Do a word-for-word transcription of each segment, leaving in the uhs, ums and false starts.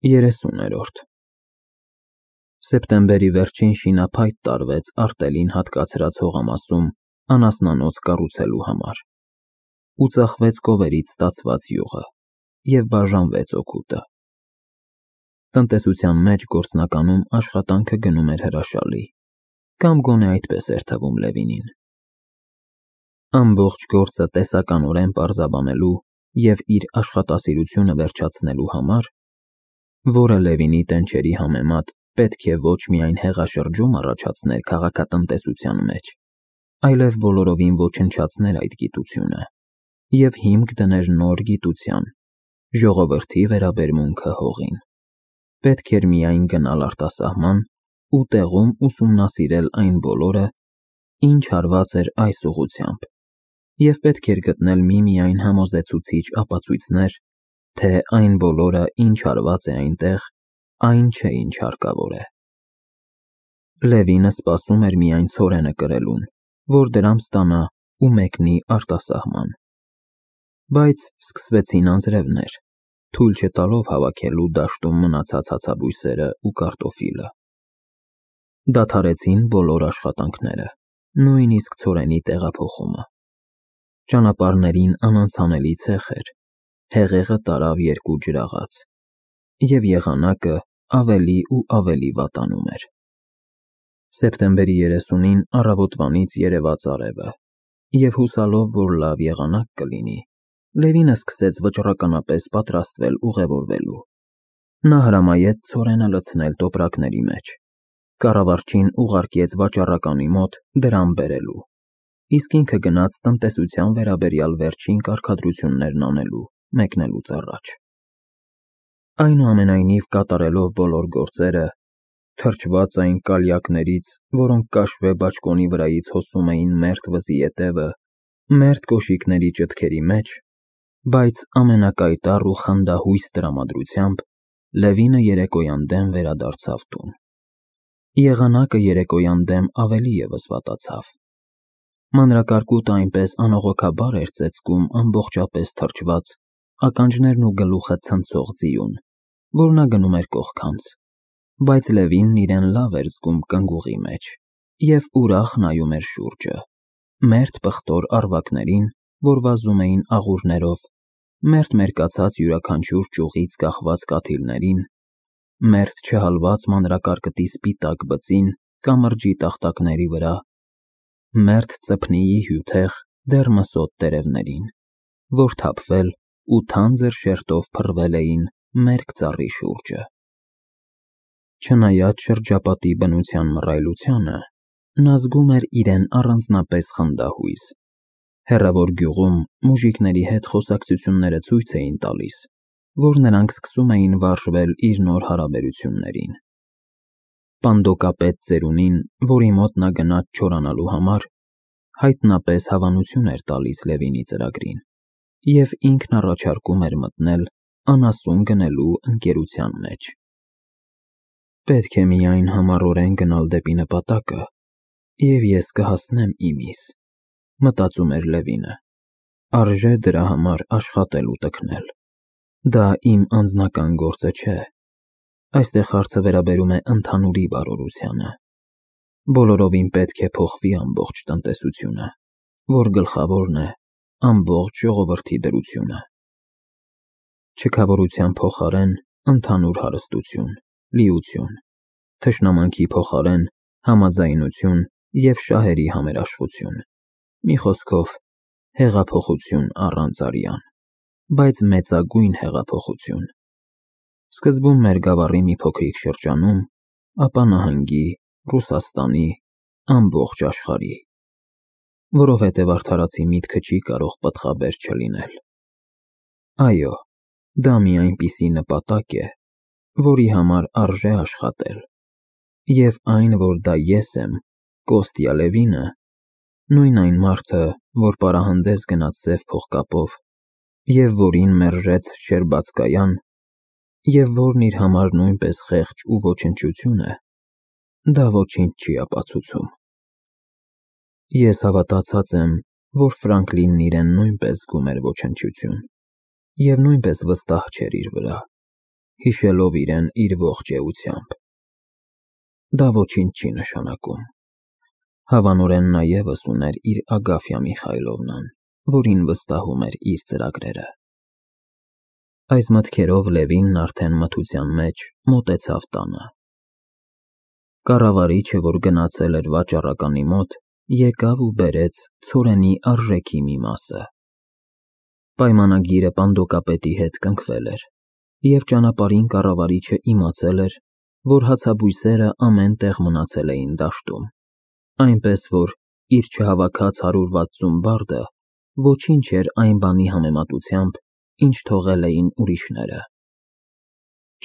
երեսուներորդ Սեպտեմբերի վերջին շինափայտ տարվեց արտելին հատկացրած հողամասում անասնանոց կառուցելու համար, ու ծախվեց կովերից ստացված յուղը, և բաժանվեց օգուտը։ Տնտեսության մեջ գործնականում աշխատանքը գնում էր հրաշալի, կամ գոնե այդպես էր թվում Լևինին։ Ամբողջ գործը տեսականորեն պարզաբանելու և իր աշխատասիրությունը վերջացնելու համար, որը Լևինի տենչերի համեմատ պետք է ոչ միայն հեղաշրջում առաջացներ քաղաքատնտեսության մեջ, այլև բոլորովին ոչնչացներ այդ գիտությունը և հիմք դներ նոր գիտության՝ ժողովրդի վերաբերմունքը հողին, պետք էր միայն գնալ արտասահման ու տեղում ուսումնասիրել այն բոլորը, ինչ հարված էր այս ուղղությամբ, և պետք էր գտնել միմիայն համոզեցուցիչ ապացույցներ, թե այն բոլորը, ինչ հարված է այնտեղ, այն չէ, ինչ հարկավոր է։ Լևինը սպասում էր միայն ցորենը կրելուն, որ դրամ ստանա ու մեկնի արտասահման։ Բայց սկսվեցին անձրևներ, թույլ չտալով հավաքելու դաշտում մնացած հացաբույսերը ու կարտոֆիլը։ Դադարեցին բոլոր աշխատանքները, նույնիսկ ցորենի տեղափոխումը։ Ճանապարհներին անանցանելի ցեխ էր, հեղեղը տարավ երկու ջրաղաց, և եղանակը ավելի ու ավելի վատանում էր։ Սեպտեմբերի երեսունին առավոտվանից երևաց արևը, և հուսալով, որ լավ եղանակ կլինի, Լևինը սկսեց վճռականապես պատրաստվել ուղևորվելու։ Նա հրամայեց ցորենը լցնել տոպրակների մեջ, կառավարչին ուղարկեց վաճառականի մոտ դրամ բերելու, իսկ ինքը գնաց տնտեսության վերաբերյալ վերջին կարգադրություններն անելու մեկնելուց առաջ։ Այնուամենայնիվ, կատարելով բոլոր գործերը, թրջված այն կալյակներից, որոնք կաշվե բաճկոնի վրայից հոսում էին մերթ վզի ետևը, մերթ կոշիկների ճտքերի մեջ, բայց ամենակայտառ ու խնդահույս տրամադրությամբ, Լևինը երեկոյան դեմ վերադարձավ տուն։ Եղանակը երեկոյան դեմ ավելի ևս վատացավ։ Մանրակարկուտը այնպես անողոքաբար էր ծեծկում ամբողջապես թրջված, ականջներն ու գլուխը ցնցող ձիուն, որ նա գնում էր կողքանց, բայց Լևինն իրեն լավ էր զգում կնգուղի մեջ և ուրախ նայում էր շուրջը, մերթ պղտոր առվակներին, որ վազում էին աղուրներով, մերթ մերկացած յուրաքանչյուր ճյուղից կախված կաթիլներին, մերթ չհալված մանրակարկտի սպիտակ բծին կամրջի տախտակների վրա, մերթ ծփնիի հյութեղ, դեռ մսոտ տերևներին, որ թափվել ու թանձր շերտով փռվել էին մերկ ծառի շուրջը։ Չնայած շրջապատի բնության մռայլությանը, նա զգում էր իրեն առանձնապես խնդահույս։ Հեռավոր գյուղում մուժիկների հետ խոսակցությունները ցույց էին տալիս, որ նրանք սկսում էին վարժվել իր նոր հարաբերություններին։ Պանդոկապետ ծերունին, որի մոտ նա գնաց չորանալու համար, հայտնապես հավանություն էր տալիս Լևինի ծրագրին, և ինքն առաջարկում էր մտնել անասուն գնելու ընկերության մեջ։ Պետք է միայն համառորեն գնալ դեպի նպատակը, և ես կհասնեմ իմիս, մտածում էր Լևինը, արժե դրա համար աշխատել ու տքնել։ Դա իմ անձնական գործը չէ, այստեղ հարցը վերաբերում է ընդհանուրի բարօրությանը։ Բոլորովին պետք է փոխվի ամբողջ տնտեսությունը, որ գլխավորն է ամբողջ ժողովրդի դրությունը։ Չքավորության փոխարեն ընդհանուր հարստություն, լիություն, թշնամանքի փոխարեն համաձայնություն և շահերի համերաշխություն, մի խոսքով, հեղափոխություն առանց արյան, բայց մեծագույն հեղափոխություն։ Սկզբում մեր գավառի մի փոքրիկ շրջանում, ապա նահանգի, Ռուսաստանի, ամբողջ աշխարհի, որովհետև արդարացի միտքը չի կարող պտղաբեր չլինել։ Այո, դա մի այնպիսի նպատակ է, որի համար արժե աշխատել, և այն, որ դա ես եմ, Կոստյա Լևինը, նույն այն մարդը, որ պարահանդես գնաց սև փողկապով, և որին մերժեց Շչերբացկայան, և որն իր համար նույնպես խեղճ ու ոչնչություն է, դա ոչինչ չի ապացուցում։ Ես հավատացած եմ, որ Ֆրանկլինն իրեն նույնպես զգում էր ոչնչություն և նույնպես վստահ չէր իր վրա, հիշելով իրեն իր ողջ էությամբ։ Դա ոչինչ չի նշանակում։ Հավանորեն նա ևս ուներ իր Ագաֆյա Միխայլովնան, որին վստահում էր իր ծրագրերը։ Այս մտքերով Լևինն արդեն մթության մեջ մոտեցավ տանը։ Կառավարիչը, որ գնացել էր վաճառականի մոտ, եկավ ու բերեց ցորենի արժեքի մի մասը։ Պայմանագիրը պանդոկապետի հետ կնքվել էր, և ճանապարհին կառավարիչը իմացել էր, որ հացաբույսերը ամեն տեղ մնացել էին դաշտում, այնպես որ իր չհավաքած հարյուր վաթսուն բարդը ոչինչ էր այն բանի համեմատությամբ, ինչ թողել էին ուրիշները։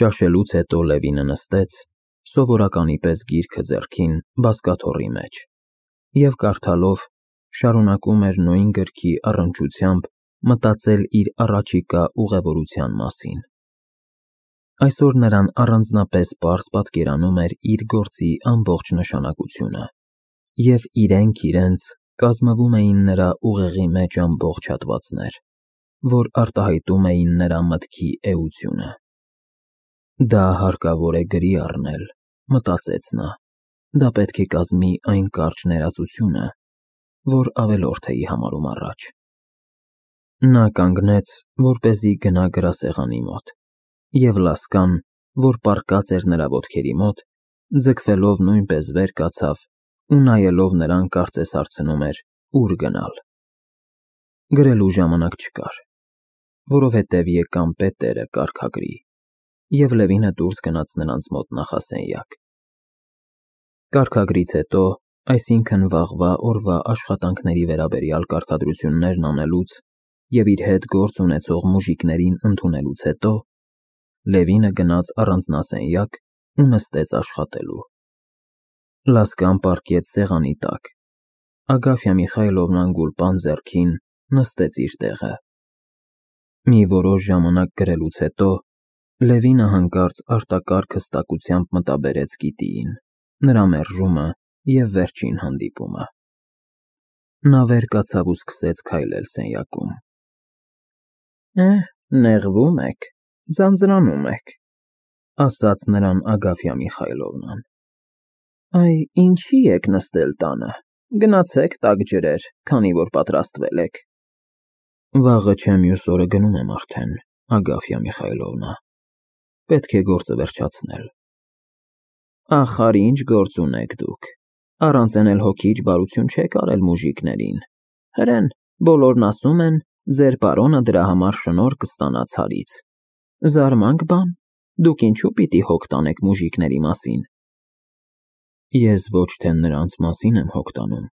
Ճաշելուց հետո Լևինը նստեց, սովորականի պես գիրքը ձեռքին, բազկաթոռի մեջ, և կարդալով շարունակում էր նույն գրքի առնչությամբ մտածել իր առաջիկա ուղևորության մասին։ Այսօր նրան առանձնապես պարզ պատկերանում էր իր գործի ամբողջ նշանակությունը, և իրենք իրենց կազմվում էին նրա ուղեղի մեջ ամբողջ հատվածներ, որ արտահայտում էին նրա մտքի էությունը։ Դա հարկավոր է գրի առնել, մտածեց նա, դա պետք է կազմի այն կարճ ներածությունը, որ ավելորդ էի համարում առաջ։ Նա կանգնեց, որպեսզի գնա գրասեղանի մոտ, և Լասկան, որ պառկած էր նրա ոտքերի մոտ, ձգվելով նույնպես վեր կացավ ու նայելով նրան կարծես հարցնում էր՝ ուր գնալ։ Գրելու ժամանակ չկար, որովհետև եկան պետերը կարգագրի, և Լևինը դուրս գնաց նրանց մոտ նախասենյակ։ Կարգագրից հետո, այսինքն վաղվա օրվա աշխատանքների վերաբերյալ կարգադրություններն անելուց և իր հետ գործ ունեցող մուժիկներին ընդունելուց հետո, Լևինը գնաց առանձնասենյակ ու նստեց աշխատելու։ Լասկան պառկեց սեղանի տակ, Ագաֆյա Միխայլովնան գուլպան ձեռքին նստեց իր տեղը։ Մի որոշ ժամանակ գրելուց հետո Լևինը հանկարծ արտակարգ հստակությամբ մտաբերեց գիտիին, նրա մերժումը և վերջին հանդիպումը։ Նա վեր կացավ ու սկսեց քայլել սենյակում։ Էհ, նեղվում եք, ձանձրանում եք, ասաց նրան Ագաֆյա Միխայլովնան։ Այ ինչի եք նստել տանը, գնացեք տաք ջրեր, քանի որ պատրաստվել եք։ Վաղը չէ մյուս օրը գնում եմ արդեն, Ագաֆյա Միխայլովնա, պետք է գործը վերջացնել։ Ախար ինչ գործ ունեք դուք, առանց էն էլ հոգի իջբարություն չեք արել մուժիկներին, հրեն, բոլորն ասում են, ձեր պարոնը դրա համար շնորհ կստանա ցարից։ Զարմանք բան, դուք ինչու պիտի հոգ տանեք մուժիկների մասին։ Ես ոչ թե նրանց մասին եմ հոգ տանում,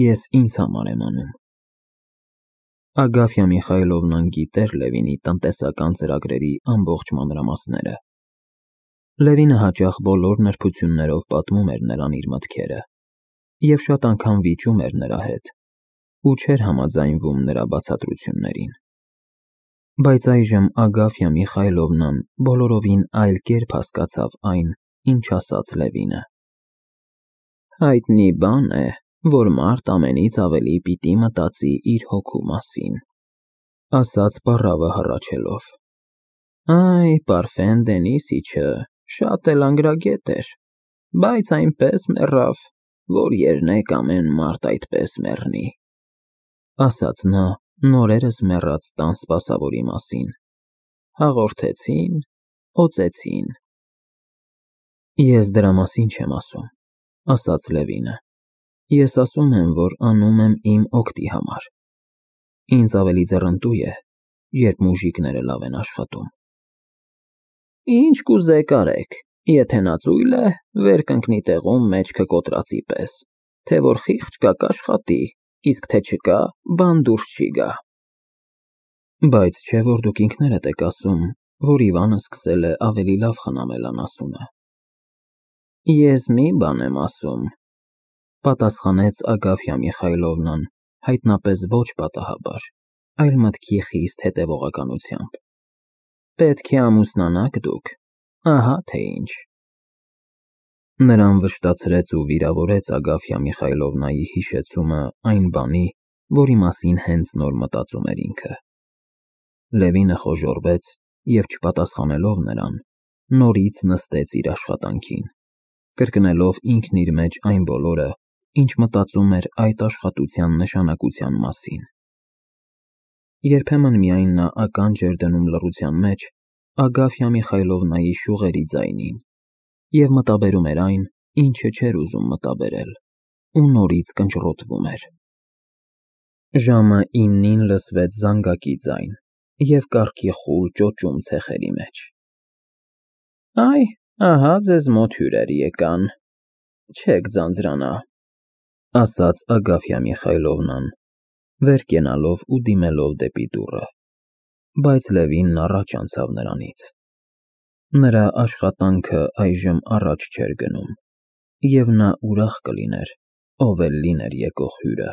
ես ինձ համար եմ անում։ Ագաֆյա Միխայլովնան գիտեր Լևինի տնտեսական ծրագրերի ամբողջ մանրամասները։ Լևինը հաճախ բոլոր նրբություններով պատմում էր նրան իր մտքերը, և շատ անգամ վիճում էր նրա հետ, ու չէր համաձայնվում նրա բացատրություններին։ Բայց այժմ Ագաֆյա Միխայլովնան բոլորովին այլ կերպ հասկացավ այն, ինչ ասաց Լևինը։ Հայտնի բան է, որ մարդ ամենից ավելի պիտի մտածի իր հոգու մասին, ասաց պառավը հառաչելով։ Այ, Պարֆեն Դենիսիչը շատ էլ անգրագետ էր, բայց այնպես մեռավ, որ երնեք ամեն մարդ այդպես մեռնի, ասաց նա նորերս մեռած տան սպասավորի մասին։ Հաղորդեցին, օծեցին։ Ես դրա մասին չեմ ասում, ասաց Լևինը։ Ես ասում եմ, որ անում եմ իմ օգտի համար։ Ինձ ավելի ձեռնտու է, երբ մուժիկները լավ են աշխատում։ Ինչ կուզեք արեք, եթե նա ծույլ է, վեր կընկնի տեղում մեջքը կոտրածի պես, թե որ խիղճ կա կաշխատի, իսկ թե չկա, բան դուրս չի գա։ Բայց չէ որ դուք ինքներդ եք ասում, որ Իվանը սկսել է ավելի լավ խնամել անասունը։ Ես մի բան եմ ասում, պատասխանեց Ագաֆյա Միխայլովնան, հայտնապես ոչ պատահաբար, այլ մտքի խիստ հետևողականությամբ։ Պետք է ամուսնանաք դուք, ահա թե ինչ։ Նրան վշտացրեց ու վիրավորեց Ագաֆյա Միխայլովնայի հիշեցումը այն բանի, որի մասին հենց նոր մտածում էր ինքը։ Լևինը խոժոռվեց և չպատասխանելով նրան, նորից նստեց իր աշխատանքին, կրկնելով ինքն իր մեջ այն բոլորը, ինչ մտածում էր այդ աշխատության նշանակության մասին։ Երբեմն միայն նա ականջ էր դնում լռության մեջ Ագաֆյա Միխայլովնայի շուղերի ձայնին և մտաբերում էր այն, ինչը չէր ուզում մտաբերել, ու նորից կնճռոտվում էր։ Ժամը իննին լսվեց զանգակի ձայն և կառքի խուլ ճոճում ցեխերի մեջ։ Այ, ահա ձեզ մոտ հյուրեր եկան, չեք ձանձրանա, ասաց Ագաֆյա Միխայլովնան, վեր կենալով ու դիմելով դեպի դուռը, բայց Լևինն առաջ անցավ նրանից։ Նրա աշխատանքը այժմ առաջ չէր գնում, և նա ուրախ կլիներ, ով էլ լիներ եկող հյուրը։